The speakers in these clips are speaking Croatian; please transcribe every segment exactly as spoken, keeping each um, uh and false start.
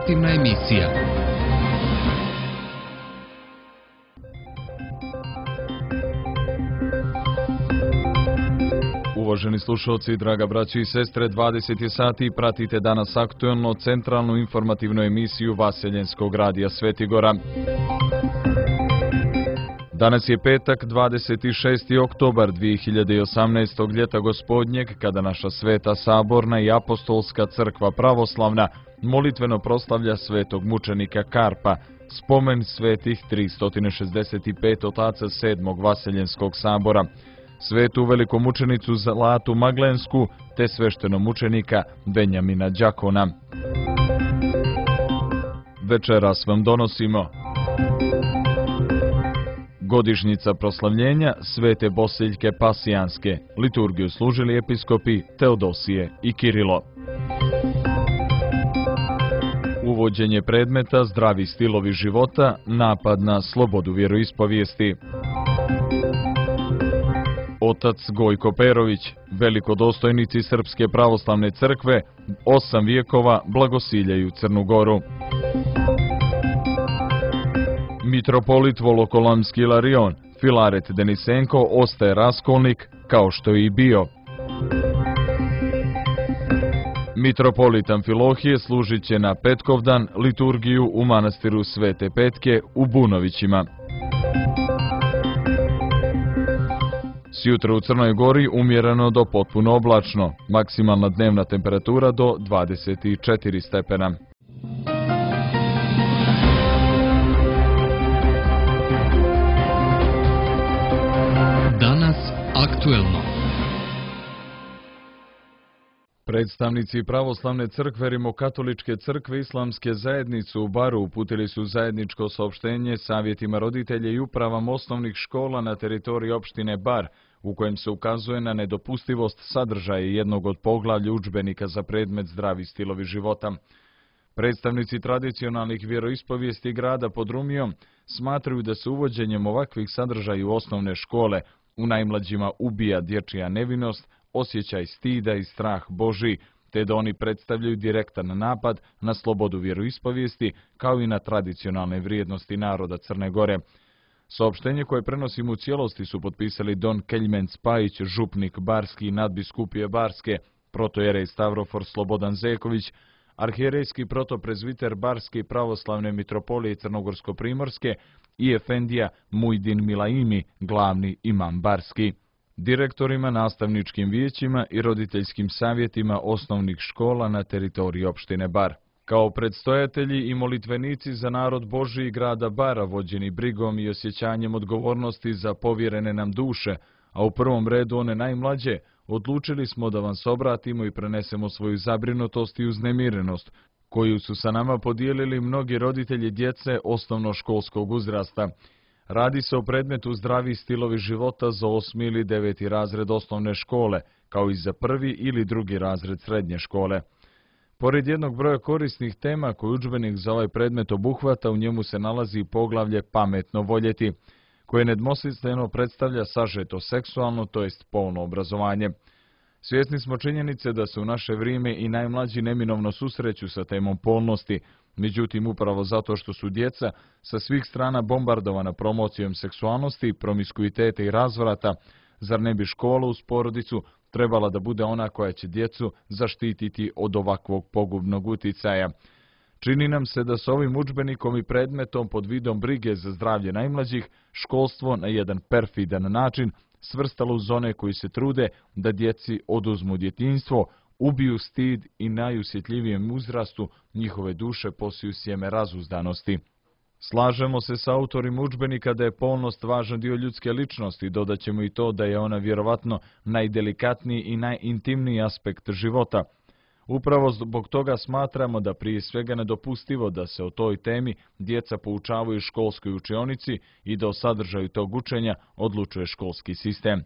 informativna emisija. Uvaženi slušalci, draga braćo i sestre, dvadeset je sati, pratite danas aktuelno centralnu informativnu emisiju Vaseljenskog radija Svetigora. Danas je petak, dvadeset šesti oktobar dvije hiljade osamnaestog ljeta gospodnjeg, kada naša Sveta Saborna i Apostolska crkva pravoslavna molitveno proslavlja svetog mučenika Karpa, spomen svetih tristo šezdeset pet otaca sedmog Vaseljenskog sabora, svetu velikomučenicu Zlatu Maglensku te sveštenomučenika Benjamina Đakona. Večeras vam donosimo godišnjica proslavljenja Svete Bosiljke Pasijanske, liturgiju služili episkopi Teodosije i Kirilo. Uvođenje predmeta Zdravi stilovi života, napad na slobodu vjeroispovijesti. Otac Gojko Perović, velikodostojnici Srpske pravoslavne crkve, osam vijekova blagosiljaju Crnu Goru. Mitropolit Volokolamski Ilarion, Filaret Denisenko, ostaje raskolnik, kao što je i bio. Mitropolit Amfilohije služit će na Petkovdan liturgiju u manastiru Svete Petke u Bunovićima. Sjutra u Crnoj Gori umjereno do potpuno oblačno, maksimalna dnevna temperatura do dvadeset četiri stepena. Danas aktuelno. Predstavnici pravoslavne crkve Rimokatoličke crkve Islamske zajednice u Baru uputili su zajedničko saopštenje savjetima roditelja i upravama osnovnih škola na teritoriji opštine Bar, u kojem se ukazuje na nedopustivost sadržaja jednog od poglavlja udžbenika za predmet Zdravi stilovi života. Predstavnici tradicionalnih vjeroispovijesti grada pod Rumijom smatraju da se uvođenjem ovakvih sadržaja u osnovne škole u najmlađima ubija dječja nevinost, osjećaj stida i strah Božji, te da oni predstavljaju direktan napad na slobodu vjeroispovijesti kao i na tradicionalne vrijednosti naroda Crne Gore. Saopštenje koje prenosimo u cijelosti su potpisali don Keljmen Spajić, župnik Barski i nadbiskupije Barske, protojerej Stavrofor Slobodan Zeković, arhijerejski protoprezviter Barske pravoslavne mitropolije Crnogorsko-primorske i efendija Mujdin Milaimi, glavni imam Barski. Direktorima, nastavničkim vijećima i roditeljskim savjetima osnovnih škola na teritoriji opštine Bar. Kao predstojatelji i molitvenici za narod Božji grada Bara, vođeni brigom i osjećanjem odgovornosti za povjerene nam duše, a u prvom redu one najmlađe, odlučili smo da vam se obratimo i prenesemo svoju zabrinutost i uznemirenost, koju su sa nama podijelili mnogi roditelji djece osnovnoškolskog uzrasta. Radi se o predmetu Zdravi stilovi života za osmi ili deveti razred osnovne škole, kao i za prvi ili drugi razred srednje škole. Pored jednog broja korisnih tema koji udžbenik za ovaj predmet obuhvata, u njemu se nalazi poglavlje Pametno voljeti, koje nedvosmisleno predstavlja sažeto seksualno, to jest polno obrazovanje. Svjesni smo činjenice da se u naše vrijeme i najmlađi neminovno susreću sa temom polnosti, međutim upravo zato što su djeca sa svih strana bombardovana promocijom seksualnosti, promiskuiteta i razvrata, zar ne bi škola uz porodicu trebala da bude ona koja će djecu zaštititi od ovakvog pogubnog uticaja? Čini nam se da s ovim udžbenikom i predmetom pod vidom brige za zdravlje najmlađih, školstvo na jedan perfidan način svrstalo uz one koji se trude da djeci oduzmu djetinjstvo, ubiju stid i najusjetljivijem uzrastu njihove duše posiju sjeme razuzdanosti. Slažemo se s autorima udžbenika da je polnost važan dio ljudske ličnosti, dodat ćemo i to da je ona vjerovatno najdelikatniji i najintimniji aspekt života. Upravo zbog toga smatramo da prije svega nedopustivo da se o toj temi djeca poučavaju u školskoj učionici i da o sadržaju tog učenja odlučuje školski sistem.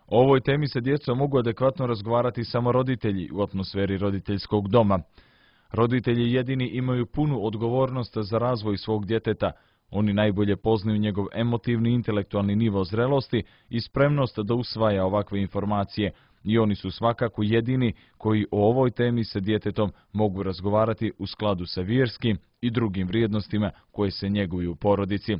O ovoj temi sa djecom mogu adekvatno razgovarati samo roditelji u atmosferi roditeljskog doma. Roditelji jedini imaju punu odgovornost za razvoj svog djeteta. Oni najbolje poznaju njegov emotivni i intelektualni nivo zrelosti i spremnost da usvaja ovakve informacije, i oni su svakako jedini koji o ovoj temi sa djetetom mogu razgovarati u skladu sa vjerskim i drugim vrijednostima koje se njeguju u porodici.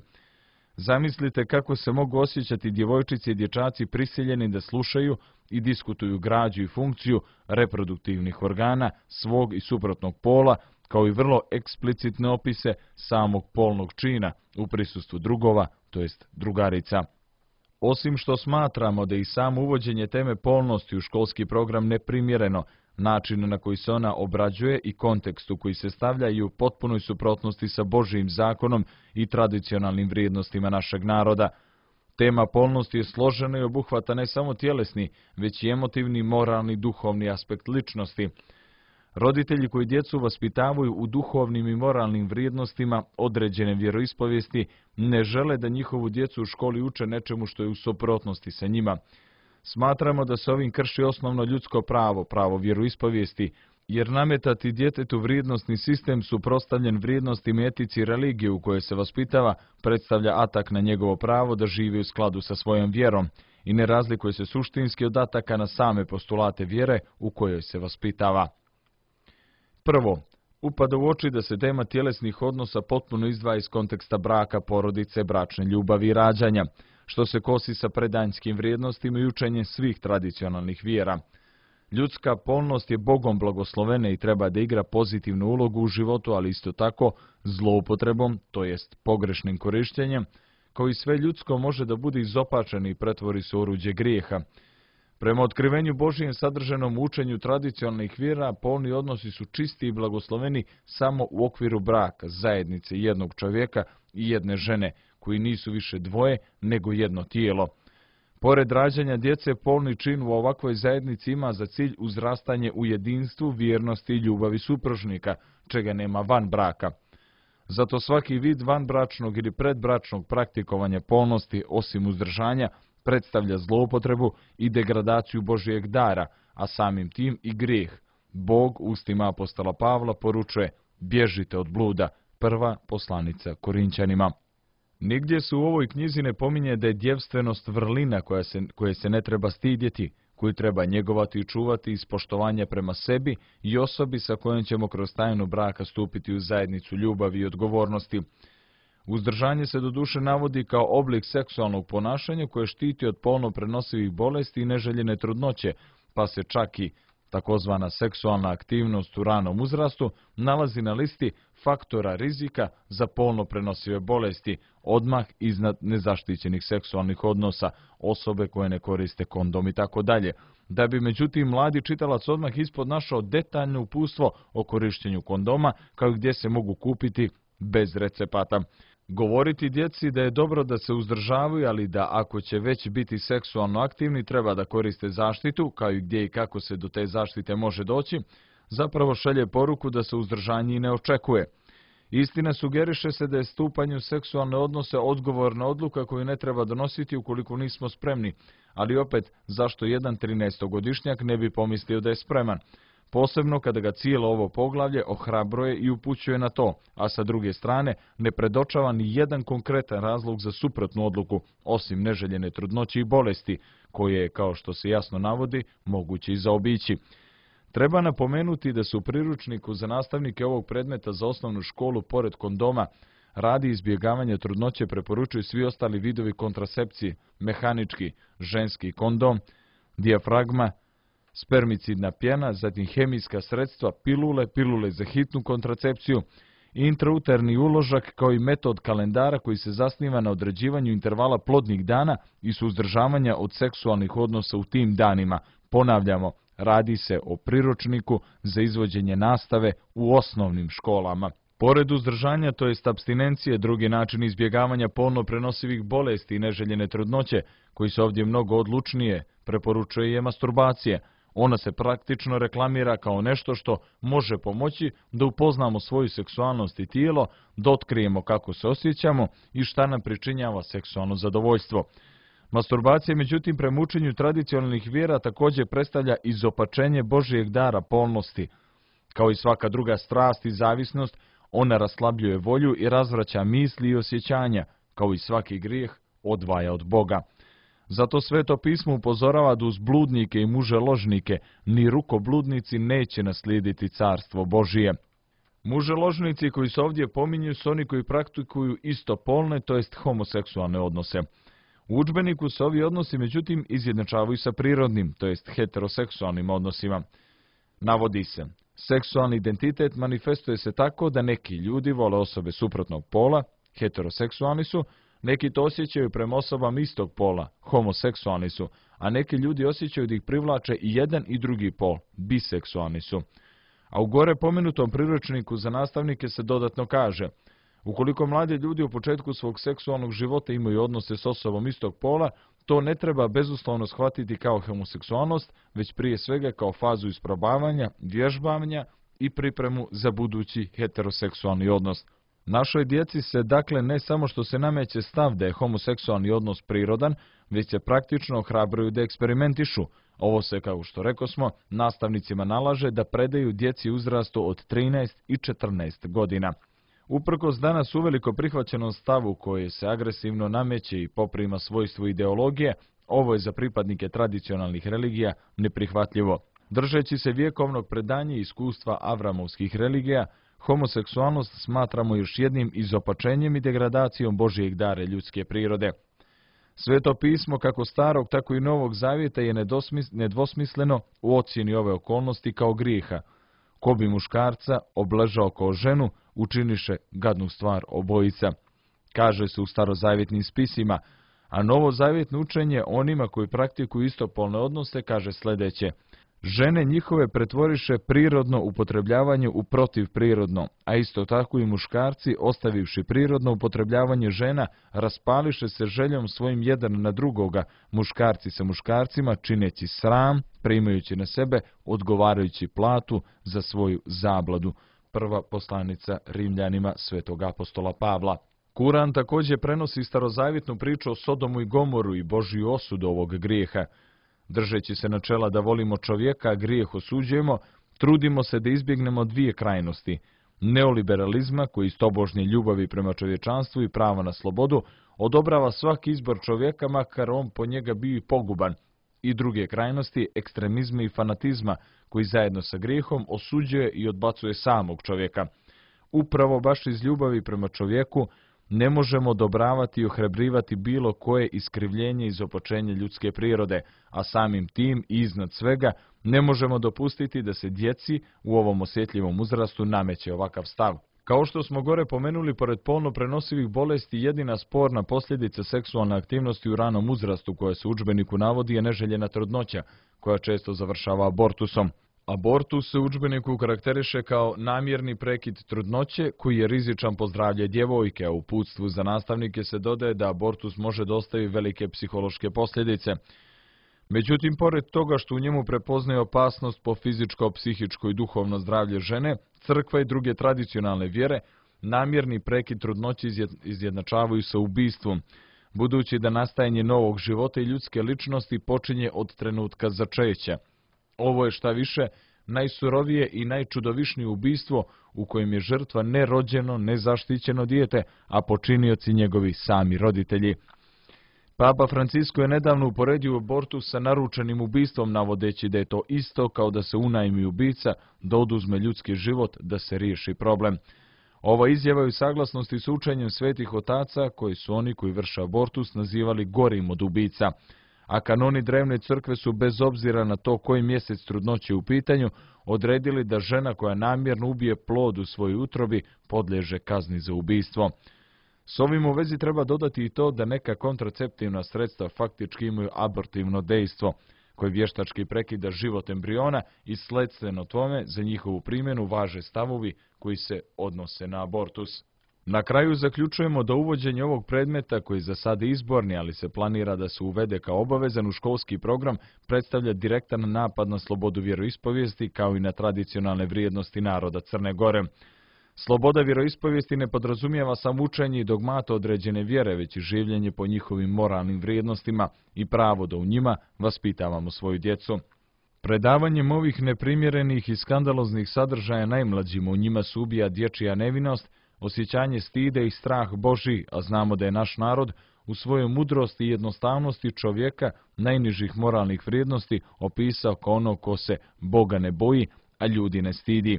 Zamislite kako se mogu osjećati djevojčice i dječaci prisiljeni da slušaju i diskutuju građu i funkciju reproduktivnih organa svog i suprotnog pola, kao i vrlo eksplicitne opise samog polnog čina u prisustvu drugova, to jest drugarica. Osim što smatramo da i samo uvođenje teme polnosti u školski program neprimjereno, način na koji se ona obrađuje i kontekst u koji se stavlja i u potpunoj suprotnosti sa Božijim zakonom i tradicionalnim vrijednostima našeg naroda. Tema polnosti je složena i obuhvata ne samo tjelesni, već i emotivni, moralni, duhovni aspekt ličnosti. Roditelji koji djecu vaspitavaju u duhovnim i moralnim vrijednostima određene vjeroispovijesti ne žele da njihovu djecu u školi uče nečemu što je u suprotnosti sa njima. Smatramo da se ovim krši osnovno ljudsko pravo, pravo vjeroispovijesti, jer nametati djetetu vrijednosni sistem suprotstavljen vrijednostima, etici i religije u kojoj se vaspitava predstavlja atak na njegovo pravo da živi u skladu sa svojom vjerom i ne razlikuje se suštinski od ataka na same postulate vjere u kojoj se vaspitava. Prvo, upada u oči da se tema tjelesnih odnosa potpuno izdvaja iz konteksta braka, porodice, bračne ljubavi i rađanja, što se kosi sa predanjskim vrijednostima i učenjem svih tradicionalnih vjera. Ljudska polnost je Bogom blagoslovena i treba da igra pozitivnu ulogu u životu, ali isto tako zloupotrebom, to jest pogrešnim korištenjem, kao i sve ljudsko može da bude izopačeno i pretvori se u oruđe grijeha. Prema otkrivenju Božijem sadržanom u učenju tradicionalnih vjera, polni odnosi su čisti i blagosloveni samo u okviru braka, zajednice jednog čovjeka i jedne žene, koji nisu više dvoje nego jedno tijelo. Pored rađanja djece, polni čin u ovakvoj zajednici ima za cilj uzrastanje u jedinstvu, vjernosti i ljubavi supružnika, čega nema van braka. Zato svaki vid vanbračnog ili predbračnog praktikovanja polnosti, osim uzdržanja, predstavlja zloupotrebu i degradaciju Božijeg dara, a samim tim i grijeh. Bog ustima apostola Pavla poručuje: bježite od bluda, prva poslanica Korinćanima. Nigdje se u ovoj knjizi ne pominje da je djevstvenost vrlina koja se, koje se ne treba stidjeti, koju treba njegovati i čuvati iz poštovanja prema sebi i osobi sa kojom ćemo kroz tajnu braka stupiti u zajednicu ljubavi i odgovornosti. Uzdržanje se doduše navodi kao oblik seksualnog ponašanja koje štiti od polno prenosivih bolesti i neželjene trudnoće, pa se čak i takozvana seksualna aktivnost u ranom uzrastu nalazi na listi faktora rizika za polno prenosive bolesti, odmah iznad nezaštićenih seksualnih odnosa, osobe koje ne koriste kondom i tako dalje. Da bi međutim mladi čitalac odmah ispod našao detaljno uputstvo o korištenju kondoma, kao i gdje se mogu kupiti bez recepata. Govoriti djeci da je dobro da se uzdržavaju, ali da ako će već biti seksualno aktivni treba da koriste zaštitu, kao i gdje i kako se do te zaštite može doći, zapravo šalje poruku da se uzdržanje i ne očekuje. Istina, sugeriše se da je stupanje u seksualne odnose odgovorna odluka koju ne treba donositi ukoliko nismo spremni, ali opet zašto jedan trinaestogodišnjak ne bi pomislio da je spreman? Posebno kada ga cijelo ovo poglavlje ohrabruje i upućuje na to, a sa druge strane ne predočava ni jedan konkretan razlog za suprotnu odluku, osim neželjene trudnoće i bolesti, koje je, kao što se jasno navodi, moguće i zaobići. Treba napomenuti da se u priručniku za nastavnike ovog predmeta za osnovnu školu pored kondoma radi izbjegavanja trudnoće preporučuju svi ostali vidovi kontracepcije, mehanički, ženski kondom, dijafragma, spermicidna pjena, zatim hemijska sredstva, pilule, pilule za hitnu kontracepciju, intrauterni uložak kao i metod kalendara koji se zasniva na određivanju intervala plodnih dana i suzdržavanja od seksualnih odnosa u tim danima. Ponavljamo, radi se o priručniku za izvođenje nastave u osnovnim školama. Pored uzdržanja, to jest apstinencije, drugi način izbjegavanja polno prenosivih bolesti i neželjene trudnoće, koji se ovdje mnogo odlučnije preporučuje je masturbacija. Ona se praktično reklamira kao nešto što može pomoći da upoznamo svoju seksualnost i tijelo, da otkrijemo kako se osjećamo i šta nam pričinjava seksualno zadovoljstvo. Masturbacija, međutim, prema učenju tradicionalnih vjera također predstavlja izopačenje Božijeg dara polnosti. Kao i svaka druga strast i zavisnost, ona raslabljuje volju i razvraća misli i osjećanja, kao i svaki grijeh odvaja od Boga. Zato Sveto pismo upozorava da uz bludnike i muželožnike ni rukobludnici neće naslijediti carstvo Božije. Muželožnici koji se ovdje pominju su oni koji praktikuju istopolne, to jest homoseksualne odnose. U udžbeniku se ovi odnosi međutim izjednačavaju sa prirodnim, to jest heteroseksualnim odnosima. Navodi se, seksualni identitet manifestuje se tako da neki ljudi vole osobe suprotnog pola, heteroseksualni su, neki to osjećaju prema osobama istog pola, homoseksualni su, a neki ljudi osjećaju da ih privlače i jedan i drugi pol, biseksualni su. A u gore pomenutom priručniku za nastavnike se dodatno kaže, ukoliko mladi ljudi u početku svog seksualnog života imaju odnose s osobom istog pola, to ne treba bezuslovno shvatiti kao homoseksualnost, već prije svega kao fazu isprobavanja, vježbavanja i pripremu za budući heteroseksualni odnos. Našoj djeci se dakle ne samo što se nameće stav da je homoseksualni odnos prirodan, već se praktično ohrabruju da eksperimentišu. Ovo se, kao što rekosmo, nastavnicima nalaže da predaju djeci uzrastu od trinaest i četrnaest godina. Uprkos danas uveliko prihvaćenom stavu koje se agresivno nameće i poprima svojstvo ideologije, ovo je za pripadnike tradicionalnih religija neprihvatljivo. Držeći se vjekovnog predanja i iskustva avramovskih religija, homoseksualnost smatramo još jednim izopačenjem i degradacijom Božijeg dara ljudske prirode. Sveto pismo, kako starog, tako i novog zavjeta, je nedvosmisleno u ocjeni ove okolnosti kao grijeha. Ko bi muškarca obležao kao ženu, učiniše gadnu stvar obojica. Kaže se u starozavjetnim spisima, a novozavjetno učenje onima koji praktikuju istopolne odnose kaže sljedeće. Žene njihove pretvoriše prirodno upotrebljavanje u protivprirodno, a isto tako i muškarci, ostavivši prirodno upotrebljavanje žena, raspališe se željom svojim jedan na drugoga, muškarci sa muškarcima, čineći sram, primajući na sebe odgovarajući platu za svoju zabladu. Prva poslanica Rimljanima svetog apostola Pavla. Kuran također prenosi starozavjetnu priču o Sodomu i Gomoru i Božju osudu ovog grijeha. Držeći se načela da volimo čovjeka, grijeh osuđujemo, trudimo se da izbjegnemo dvije krajnosti. Neoliberalizma, koji iz tobožnje ljubavi prema čovječanstvu i prava na slobodu, odobrava svaki izbor čovjeka, makar on po njega bio i poguban. I druge krajnosti, ekstremizma i fanatizma, koji zajedno sa grijehom osuđuje i odbacuje samog čovjeka. Upravo baš iz ljubavi prema čovjeku ne možemo odobravati i ohrabrivati bilo koje iskrivljenje i izopačenje ljudske prirode, a samim tim i iznad svega ne možemo dopustiti da se djeci u ovom osjetljivom uzrastu nameće ovakav stav. Kao što smo gore pomenuli, pored polno prenosivih bolesti, jedina sporna posljedica seksualne aktivnosti u ranom uzrastu koja se u udžbeniku navodi je neželjena trudnoća, koja često završava abortusom. Abortus se u udžbeniku karakteriše kao namjerni prekid trudnoće koji je rizičan po zdravlje djevojke, a u uputstvu za nastavnike se dodaje da abortus može dostaviti velike psihološke posljedice. Međutim, pored toga što u njemu prepoznaje opasnost po fizičko, psihičko i duhovno zdravlje žene, crkva i druge tradicionalne vjere namjerni prekid trudnoće izjednačavaju sa ubistvom, budući da nastajanje novog života i ljudske ličnosti počinje od trenutka začeća. Ovo je šta više najsurovije i najčudovišnije ubistvo u kojem je žrtva nerođeno, nezaštićeno dijete, a počinioci njegovi sami roditelji. Papa Francisko je nedavno uporedio abortus sa naručenim ubistvom, navodeći da je to isto kao da se unajmi ubica, da oduzme ljudski život, da se riješi problem. Ova izjava je u saglasnosti s učenjem svetih otaca, koji su oni koji vrše abortus nazivali gorim od ubica. A kanoni drevne crkve su, bez obzira na to koji mjesec trudnoće u pitanju, odredili da žena koja namjerno ubije plod u svojoj utrobi podliježe kazni za ubistvo. S ovim u vezi treba dodati i to da neka kontraceptivna sredstva faktički imaju abortivno dejstvo, koje vještački prekida život embriona i sledstveno tome za njihovu primjenu važe stavovi koji se odnose na abortus. Na kraju zaključujemo da uvođenje ovog predmeta, koji za sad je izborni, ali se planira da se uvede kao obavezan u školski program, predstavlja direktan napad na slobodu vjeroispovijesti kao i na tradicionalne vrijednosti naroda Crne Gore. Sloboda vjeroispovijesti ne podrazumijeva samo učenje i dogmata određene vjere, već i življenje po njihovim moralnim vrijednostima i pravo da u njima vaspitavamo svoju djecu. Predavanjem ovih neprimjerenih i skandaloznih sadržaja najmlađima u njima se ubija dječja nevinost, osjećanje stida i strah Božji, a znamo da je naš narod u svojoj mudrosti i jednostavnosti čovjeka najnižih moralnih vrijednosti opisao kao ono ko se Boga ne boji, a ljudi ne stidi.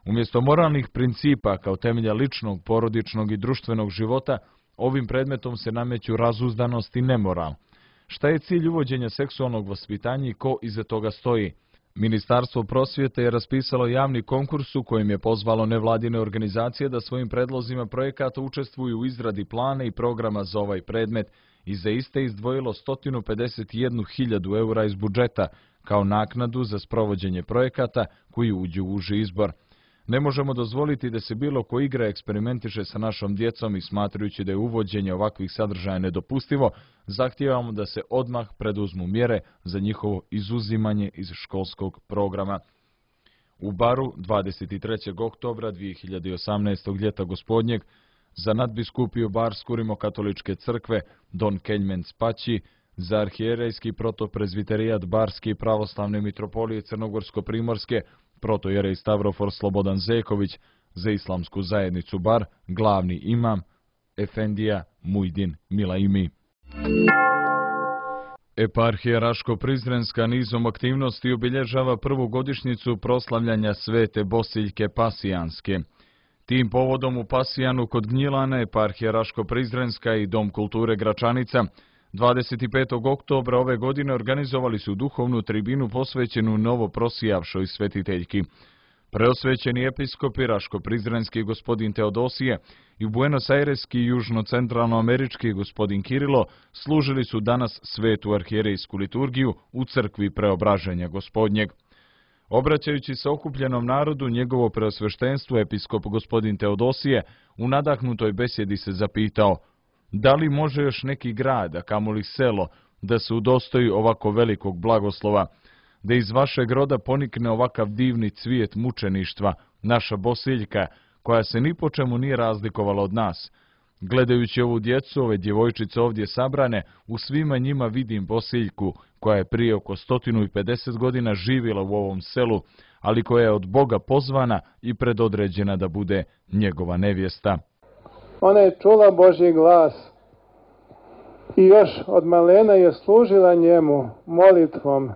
Umjesto moralnih principa kao temelja ličnog, porodičnog i društvenog života, ovim predmetom se nameću razuzdanost i nemoral. Šta je cilj uvođenja seksualnog vaspitanja i ko iza toga stoji? Ministarstvo prosvjete je raspisalo javni konkurs u kojem je pozvalo nevladine organizacije da svojim predlozima projekata učestvuju u izradi plana i programa za ovaj predmet i za iste izdvojilo sto pedeset jednu hiljadu eura iz budžeta kao naknadu za sprovođenje projekata koji uđu u uži izbor. Ne možemo dozvoliti da se bilo ko igra eksperimentiše sa našom djecom i smatrajući da je uvođenje ovakvih sadržaja nedopustivo, zahtijevamo da se odmah preduzmu mjere za njihovo izuzimanje iz školskog programa. U Baru dvadeset trećeg oktobra dvije hiljade osamnaestog ljeta gospodnjeg za nadbiskupiju Barsku rimokatoličke crkve Don Keljmen Spaći, za arhijerejski protoprezviterijat Barske i pravoslavne mitropolije Crnogorsko-primorske protojerej Stavrofor Slobodan Zeković, za islamsku zajednicu Bar glavni imam Efendija Mujdin Milaimi. Eparhija Raško-Prizrenska nizom aktivnosti obilježava prvu godišnjicu proslavljanja Svete Bosiljke Pasijanske. Tim povodom u Pasijanu kod Gnjilana eparhija Raško-Prizrenska i Dom kulture Gračanica dvadeset petog oktobra ove godine organizovali su duhovnu tribinu posvećenu novo prosijavšoj svetiteljki. Preosvećeni episkopi Raško-Prizrenski gospodin Teodosije i Buenos Aireski i južno-centralnoamerički gospodin Kirilo služili su danas svetu arhijerejsku liturgiju u crkvi Preobraženja gospodnjeg. Obraćajući se okupljenom narodu, njegovo preosveštenstvo episkop gospodin Teodosije u nadahnutoj besjedi se zapitao: da li može još neki grad, a kamoli selo, da se udostoji ovako velikog blagoslova, da iz vašeg roda ponikne ovakav divni cvijet mučeništva, naša Bosiljka, koja se ni po čemu nije razlikovala od nas. Gledajući ovu djecu, ove djevojčice ovdje sabrane, u svima njima vidim Bosiljku, koja je prije oko sto pedeset godina živjela u ovom selu, ali koja je od Boga pozvana i predodređena da bude njegova nevjesta. Ona je čula Božji glas i još od malena je služila njemu molitvom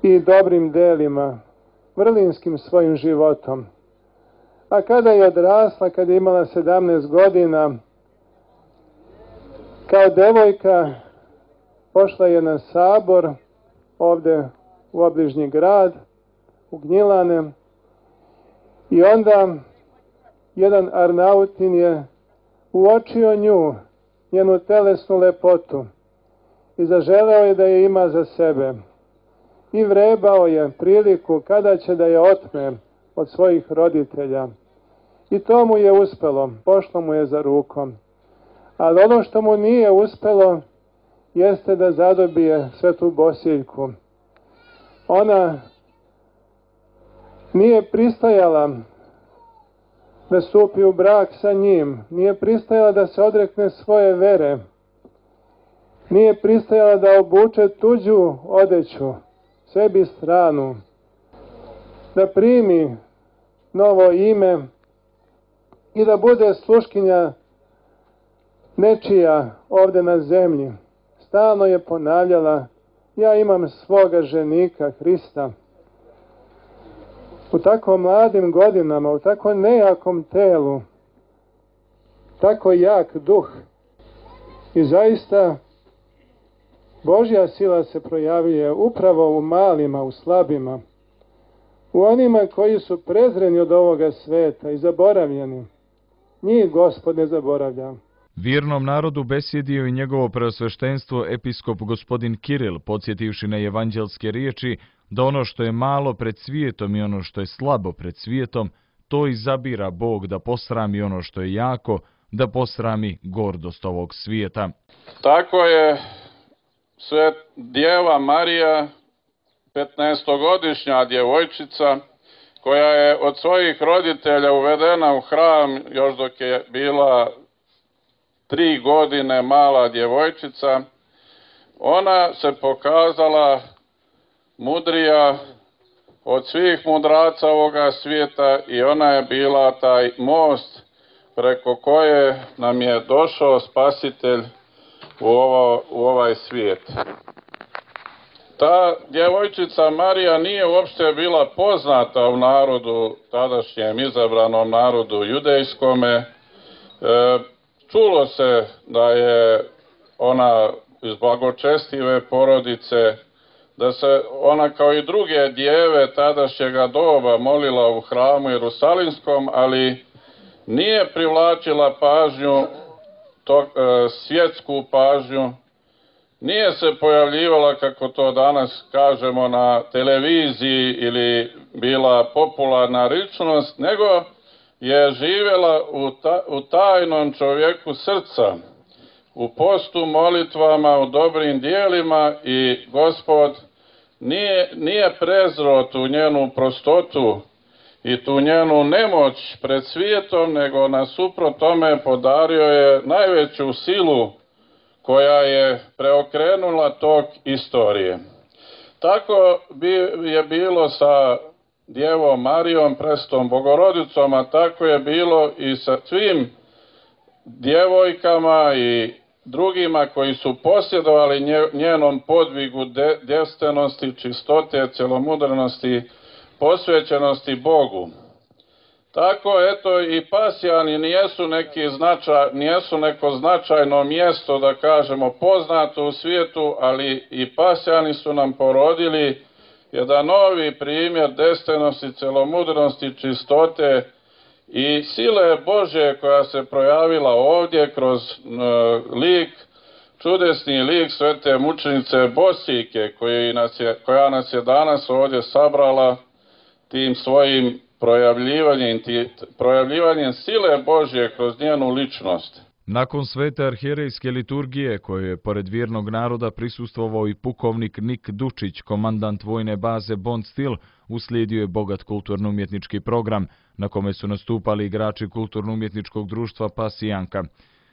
i dobrim delima, vrlinskim svojim životom. A kada je odrasla, kada je imala sedamnaest godina, kao devojka pošla je na sabor ovde u obližnji grad, u Gnjilane, i onda jedan Arnautin je uočio nju, njenu telesnu lepotu, i zaželeo je da je ima za sebe. I vrebao je priliku kada će da je otme od svojih roditelja. I to mu je uspelo, pošlo mu je za rukom. Ali ono što mu nije uspelo jeste da zadobije svetu Bosiljku. Ona nije pristajala da stupi u brak sa njim, nije pristajala da se odrekne svoje vere, nije pristajala da obuče tuđu odeću, sebi stranu, da primi novo ime i da bude sluškinja nečija ovde na zemlji. Stalno je ponavljala: ja imam svoga ženika Hrista. U tako mladim godinama, u tako nejakom telu, tako jak duh. I zaista Božja sila se projavljuje upravo u malima, u slabima, u onima koji su prezreni od ovoga sveta i zaboravljeni. Njih Gospod ne zaboravlja. Vjernom narodu besjedio i njegovo preosveštenstvo episkop gospodin Kiril, podsjetivši na evanđelske riječi da ono što je malo pred svijetom i ono što je slabo pred svijetom, to izabira Bog da posrami ono što je jako, da posrami gordost ovog svijeta. Tako je sve Djeva Marija, petnaestogodišnja djevojčica, koja je od svojih roditelja uvedena u hram još dok je bila tri godine mala djevojčica, ona se pokazala mudrija od svih mudraca ovoga svijeta i ona je bila taj most preko koje nam je došao Spasitelj u, ovo, u ovaj svijet. Ta djevojčica Marija nije uopšte bila poznata u narodu, tadašnjem izabranom narodu judejskome. E, čulo se da je ona iz blagočestive porodice, da se ona kao i druge djeve tadašnjega doba molila u hramu Jerusalimskom, ali nije privlačila pažnju, to, e, svjetsku pažnju, nije se pojavljivala, kako to danas kažemo, na televiziji ili bila popularna ličnost, nego je živjela u, ta, u tajnom čovjeku srca, u postu, molitvama, u dobrim dijelima, i Gospod nije, nije prezro tu njenu prostotu i tu njenu nemoć pred svijetom, nego nasuprot tome podario je najveću silu koja je preokrenula tok istorije. Tako bi je bilo sa Djevom Marijom, prestom Bogorodicom, a tako je bilo i sa svim djevojkama i drugima koji su posjedovali njenom podvigu devstvenosti, čistote, celomudrenosti, posvećenosti Bogu. Tako, eto, i Pasjani nijesu, neki značaj, nijesu neko značajno mjesto, da kažemo, poznato u svijetu, ali i Pasjani su nam porodili jedan novi primjer devstvenosti, celomudrenosti, čistote i sile Božje koja se projavila ovdje kroz uh, lik, čudesni lik svete mučenice Bosiljke, koji nas je, koja nas je danas ovdje sabrala tim svojim projavljivanjem, projavljivanjem sile Božje kroz njenu ličnost. Nakon svete arhijerejske liturgije, koje je pored vjernog naroda prisustvovao i pukovnik Nik Dučić, komandant vojne baze Bond Steel, uslijedio je bogat kulturno-umjetnički program, na kome su nastupali igrači kulturno-umjetničkog društva Pasijanka.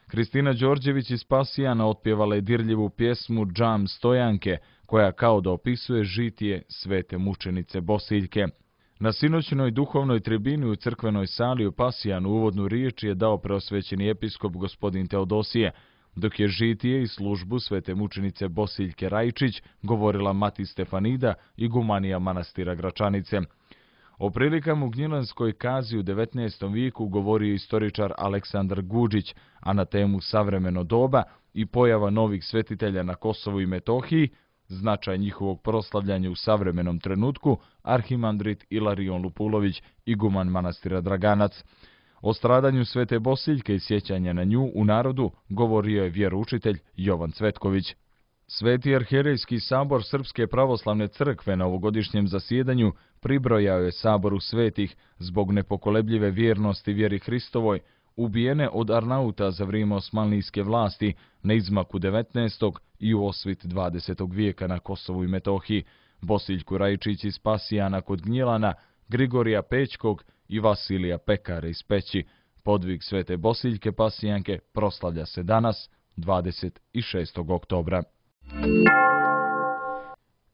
Kristina Đorđević iz Pasijana otpjevala je dirljivu pjesmu Džam Stojanke, koja kao da opisuje žitije svete mučenice Bosiljke. Na sinoćnoj duhovnoj tribini u crkvenoj sali u Pasijanu uvodnu riječ je dao preosvećeni episkop gospodin Teodosije, dok je žitije i službu svete mučenice Bosiljke Rajčić govorila mati Stefanida, igumanija manastira Gračanice. O prilikama u Gnjilanskoj kazi u devetnaestom vijeku govorio istoričar Aleksandar Guđić, a na temu savremeno doba i pojava novih svetitelja na Kosovu i Metohiji, značaj njihovog proslavljanja u savremenom trenutku, arhimandrit Ilarion Lupulović, iguman manastira Draganac. O stradanju svete Bosiljke i sjećanja na nju u narodu govorio je vjeroučitelj Jovan Cvetković. Sveti arhijerejski sabor Srpske pravoslavne crkve na ovogodišnjem zasjedanju pribrojao je saboru svetih zbog nepokolebljive vjernosti vjeri Hristovoj, ubijene od Arnauta za vrijeme osmanlijske vlasti na izmaku devetnaestog i u osvit dvadesetog vijeka na Kosovu i Metohiji, Bosiljku Rajčić iz Pasijana kod Gnjilana, Grigorija Pećkog i Vasilija Pekara iz Peći. Podvig svete Bosiljke Pasijanke proslavlja se danas, dvadeset šestog oktobra.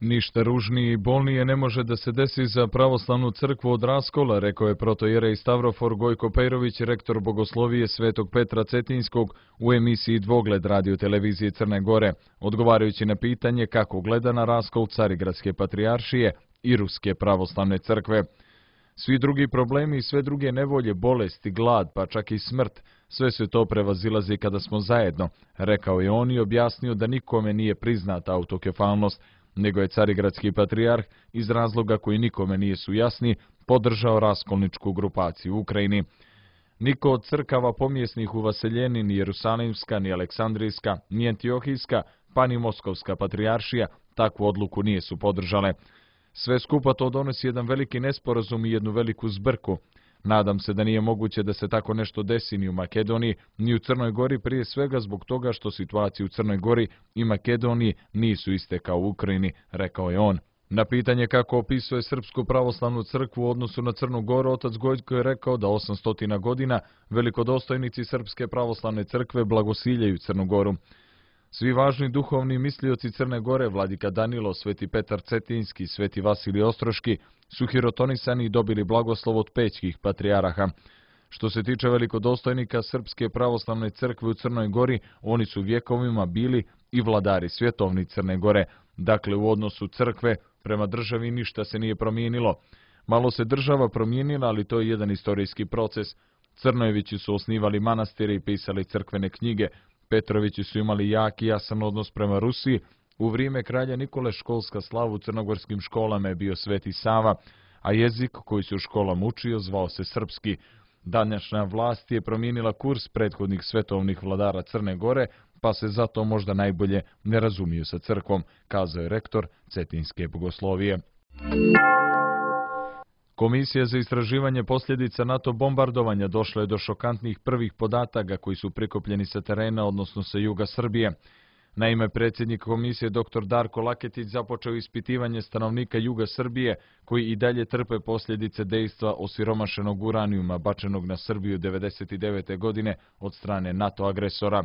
Ništa ružnije i bolnije ne može da se desi za pravoslavnu crkvu od raskola, rekao je protojerej Stavrofor Gojko Pejrović, rektor Bogoslovije Svetog Petra Cetinskog u emisiji Dvogled radio-televizije Crne Gore, odgovarajući na pitanje kako gleda na raskol Carigradske patrijaršije i Ruske pravoslavne crkve. Svi drugi problemi i sve druge nevolje, bolesti, glad, pa čak i smrt, sve se to prevazilazi kada smo zajedno, rekao je on i objasnio da nikome nije priznata autokefalnost, nego je carigradski patrijarh iz razloga koji nikome nije su jasni podržao raskolničku grupaciju u Ukrajini. Niko od crkava pomjesnih u Vaseljeni, ni Jerusalimska, ni Aleksandrijska, ni Antiohijska, pa ni Moskovska patrijaršija takvu odluku nije su podržale. Sve skupa to donosi jedan veliki nesporazum i jednu veliku zbrku. Nadam se da nije moguće da se tako nešto desi ni u Makedoniji, ni u Crnoj Gori, prije svega zbog toga što situacije u Crnoj Gori i Makedoniji nisu iste kao u Ukrajini, rekao je on. Na pitanje kako opisuje Srpsku pravoslavnu crkvu u odnosu na Crnu Goru, otac Gojko je rekao da osamsto godina velikodostojnici Srpske pravoslavne crkve blagosiljaju Crnu Goru. Svi važni duhovni mislioci Crne Gore, vladika Danilo, sveti Petar Cetinski, sveti Vasilij Ostroški, su hirotonisani i dobili blagoslov od pećkih patrijaraha. Što se tiče velikodostojnika Srpske pravoslavne crkve u Crnoj Gori, oni su vjekovima bili i vladari svjetovni Crne Gore. Dakle, u odnosu crkve prema državi ništa se nije promijenilo. Malo se država promijenila, ali to je jedan istorijski proces. Crnojevići su osnivali manastire i pisali crkvene knjige. Petrovići su imali jak i jasan odnos prema Rusiji. U vrijeme kralja Nikole školska slava u crnogorskim školama je bio Sveti Sava, a jezik koji se u školama učio zvao se srpski. Današnja vlast je promijenila kurs prethodnih svetovnih vladara Crne Gore, pa se zato možda najbolje ne razumiju sa crkvom, kazao je rektor Cetinske bogoslovije. Komisija za istraživanje posljedica NATO bombardovanja došla je do šokantnih prvih podataka koji su prikupljeni sa terena, odnosno sa juga Srbije. Naime, predsjednik komisije dr Darko Laketić započeo ispitivanje stanovnika juga Srbije koji i dalje trpe posljedice dejstva osiromašenog uranijuma bačenog na Srbiju devedeset devete. godine od strane NATO agresora.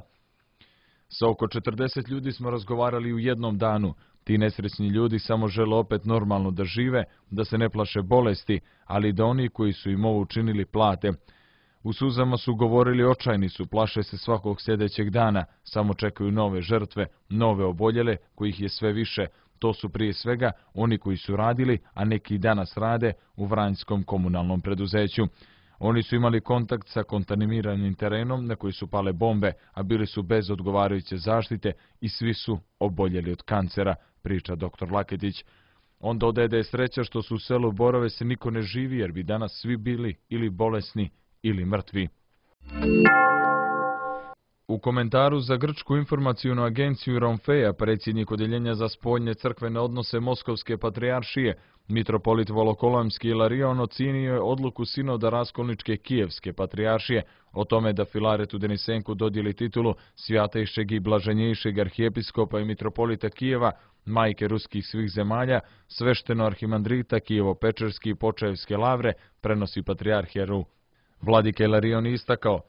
Sa oko četrdeset ljudi smo razgovarali u jednom danu. Ti nesrećni ljudi samo žele opet normalno da žive, da se ne plaše bolesti, ali da oni koji su im ovo učinili plate. U suzama su govorili, očajni su, plaše se svakog sljedećeg dana, samo čekaju nove žrtve, nove oboljele, kojih je sve više. To su prije svega oni koji su radili, a neki danas rade u Vranjskom komunalnom preduzeću. Oni su imali kontakt sa kontaminiranim terenom na koji su pale bombe, a bili su bez odgovarajuće zaštite i svi su oboljeli od kancera, priča dr Laketić. On dodaje da je sreća što su u selu Borove se niko ne živi, jer bi danas svi bili ili bolesni ili mrtvi. U komentaru za Grčku informacijnu agenciju Romfeja, predsjednik Odjeljenja za spoljne crkvene odnose Moskovske patrijaršije, mitropolit Volokolamski Ilarion ocijenio je odluku sinoda Raskolničke Kijevske patrijaršije o tome da Filaretu Denisenku dodijeli titulu svjatejšeg i blaženjejšeg arhijepiskopa i mitropolita Kijeva, majke ruskih svih zemalja, svešteno arhimandrita Kijevo-Pečerski i Počaevske lavre, prenosi patrijarhijeru. Vladika Ilarion istakao: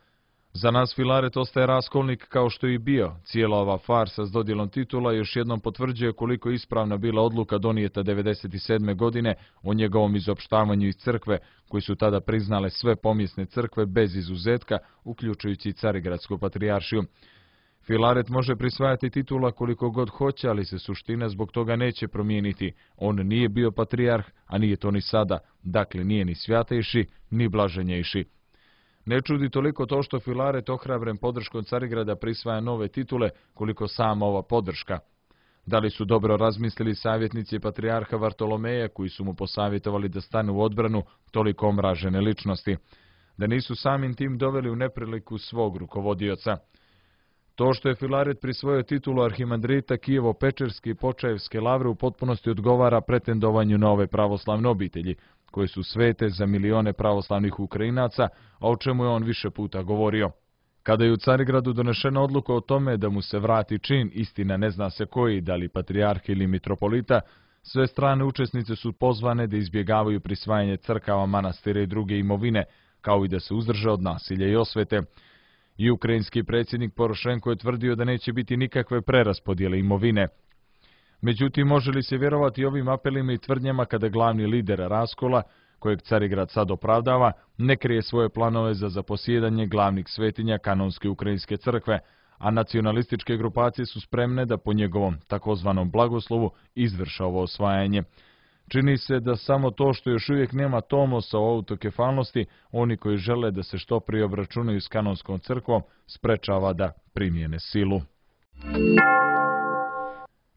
za nas Filaret ostaje raskolnik kao što je i bio. Cijela ova farsa s dodjelom titula još jednom potvrđuje koliko je ispravna bila odluka donijeta devedeset sedme. godine o njegovom izopštavanju iz crkve, koji su tada priznale sve pomjesne crkve bez izuzetka, uključujući i Carigradsku patrijaršiju. Filaret može prisvajati titula koliko god hoće, ali se suština zbog toga neće promijeniti. On nije bio patrijarh, a nije to ni sada, dakle nije ni svjatejši, ni blaženjejši. Ne čudi toliko to što Filaret ohrabren podrškom Carigrada prisvaja nove titule, koliko sama ova podrška. Da li su dobro razmislili savjetnici patrijarha Vartolomeja, koji su mu posavjetovali da stane u odbranu toliko omražene ličnosti? Da nisu samim tim doveli u nepriliku svog rukovodioca? To što je Filaret prisvojio titulu arhimandrita Kijevo-Pečerski i Počaevske lavre u potpunosti odgovara pretendovanju na ove pravoslavne obitelji, koje su svete za milione pravoslavnih Ukrajinaca, a o čemu je on više puta govorio. Kada je u Carigradu donešena odluka o tome da mu se vrati čin, istina ne zna se koji, da li patrijarh ili mitropolita, sve strane učesnice su pozvane da izbjegavaju prisvajanje crkava, manastira i druge imovine, kao i da se uzdrže od nasilja i osvete. I ukrajinski predsjednik Porošenko je tvrdio da neće biti nikakve preraspodjele imovine. Međutim, može li se vjerovati ovim apelima i tvrdnjama kada glavni lider raskola, kojeg Carigrad sad opravdava, ne krije svoje planove za zaposjedanje glavnih svetinja kanonske ukrajinske crkve, a nacionalističke grupacije su spremne da po njegovom takozvanom blagoslovu izvrša ovo osvajanje. Čini se da samo to što još uvijek nema tomosa o autokefalnosti, oni koji žele da se što prije obračunaju s kanonskom crkvom, sprečava da primjene silu.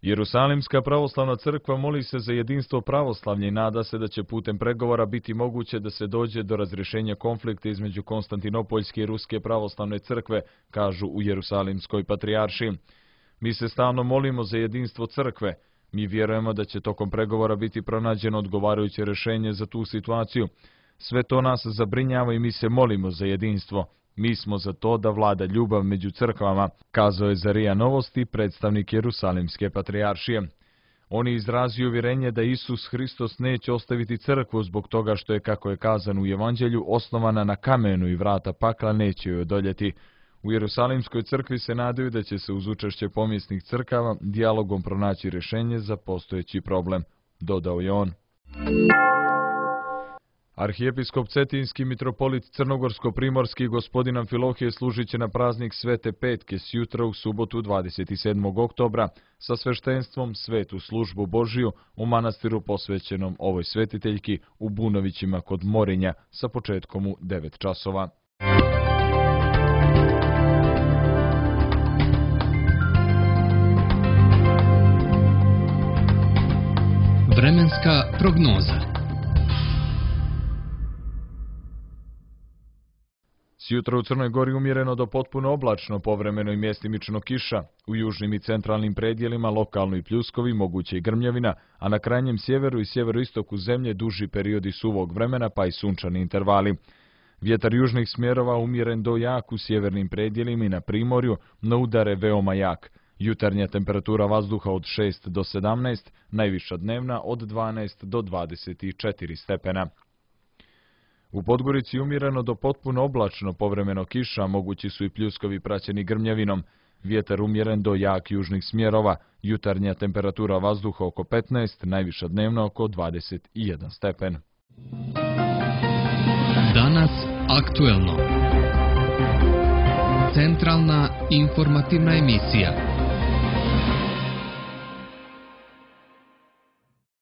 Jerusalimska pravoslavna crkva moli se za jedinstvo pravoslavlja i nada se da će putem pregovora biti moguće da se dođe do razrješenja konflikta između Konstantinopoljske i Ruske pravoslavne crkve, kažu u Jerusalimskoj patrijaršiji. Mi se stalno molimo za jedinstvo crkve. Mi vjerujemo da će tokom pregovora biti pronađeno odgovarajuće rješenje za tu situaciju. Sve to nas zabrinjava i mi se molimo za jedinstvo. Mi smo za to da vlada ljubav među crkvama, kazao je za R I A Novosti predstavnik Jerusalimske patrijaršije. On je izrazio uvjerenje da Isus Hristos neće ostaviti crkvu zbog toga što je, kako je kazano u Evanđelju, osnovana na kamenu i vrata pakla neće joj odoljeti. U Jerusalimskoj crkvi se nadaju da će se uz učešće pomjesnih crkava dijalogom pronaći rješenje za postojeći problem, dodao je on. Arhijepiskop Cetinski mitropolit Crnogorsko-primorski gospodin Amfilohije služit će na praznik Svete Petke sjutra u subotu dvadeset sedmog oktobra sa sveštenstvom Svetu službu Božiju u manastiru posvećenom ovoj svetiteljki u Bunovićima kod Morinja sa početkom u devet časova. Vremenska prognoza. Sjutra u Crnoj Gori umjereno do potpuno oblačno, povremeno i mjestimično kiša. U južnim i centralnim predjelima lokalno i pljuskovi, moguće i grmljavina, a na krajnjem sjeveru i sjeveroistoku zemlje duži periodi suvog vremena pa i sunčani intervali. Vjetar južnih smjerova umjeren do jak u sjevernim predjelima i na primorju, no udare veoma jak. Jutarnja temperatura vazduha od šest do sedamnaest, najviša dnevna od dvanaest do dvadeset četiri stepena. U Podgorici umjereno do potpuno oblačno, povremeno kiša, mogući su i pljuskovi praćeni grmljavinom. Vjetar umjeren do jak južnih smjerova, jutarnja temperatura vazduha oko petnaest, najviša dnevna oko dvadeset jedan stepen. Danas aktuelno. Centralna informativna emisija.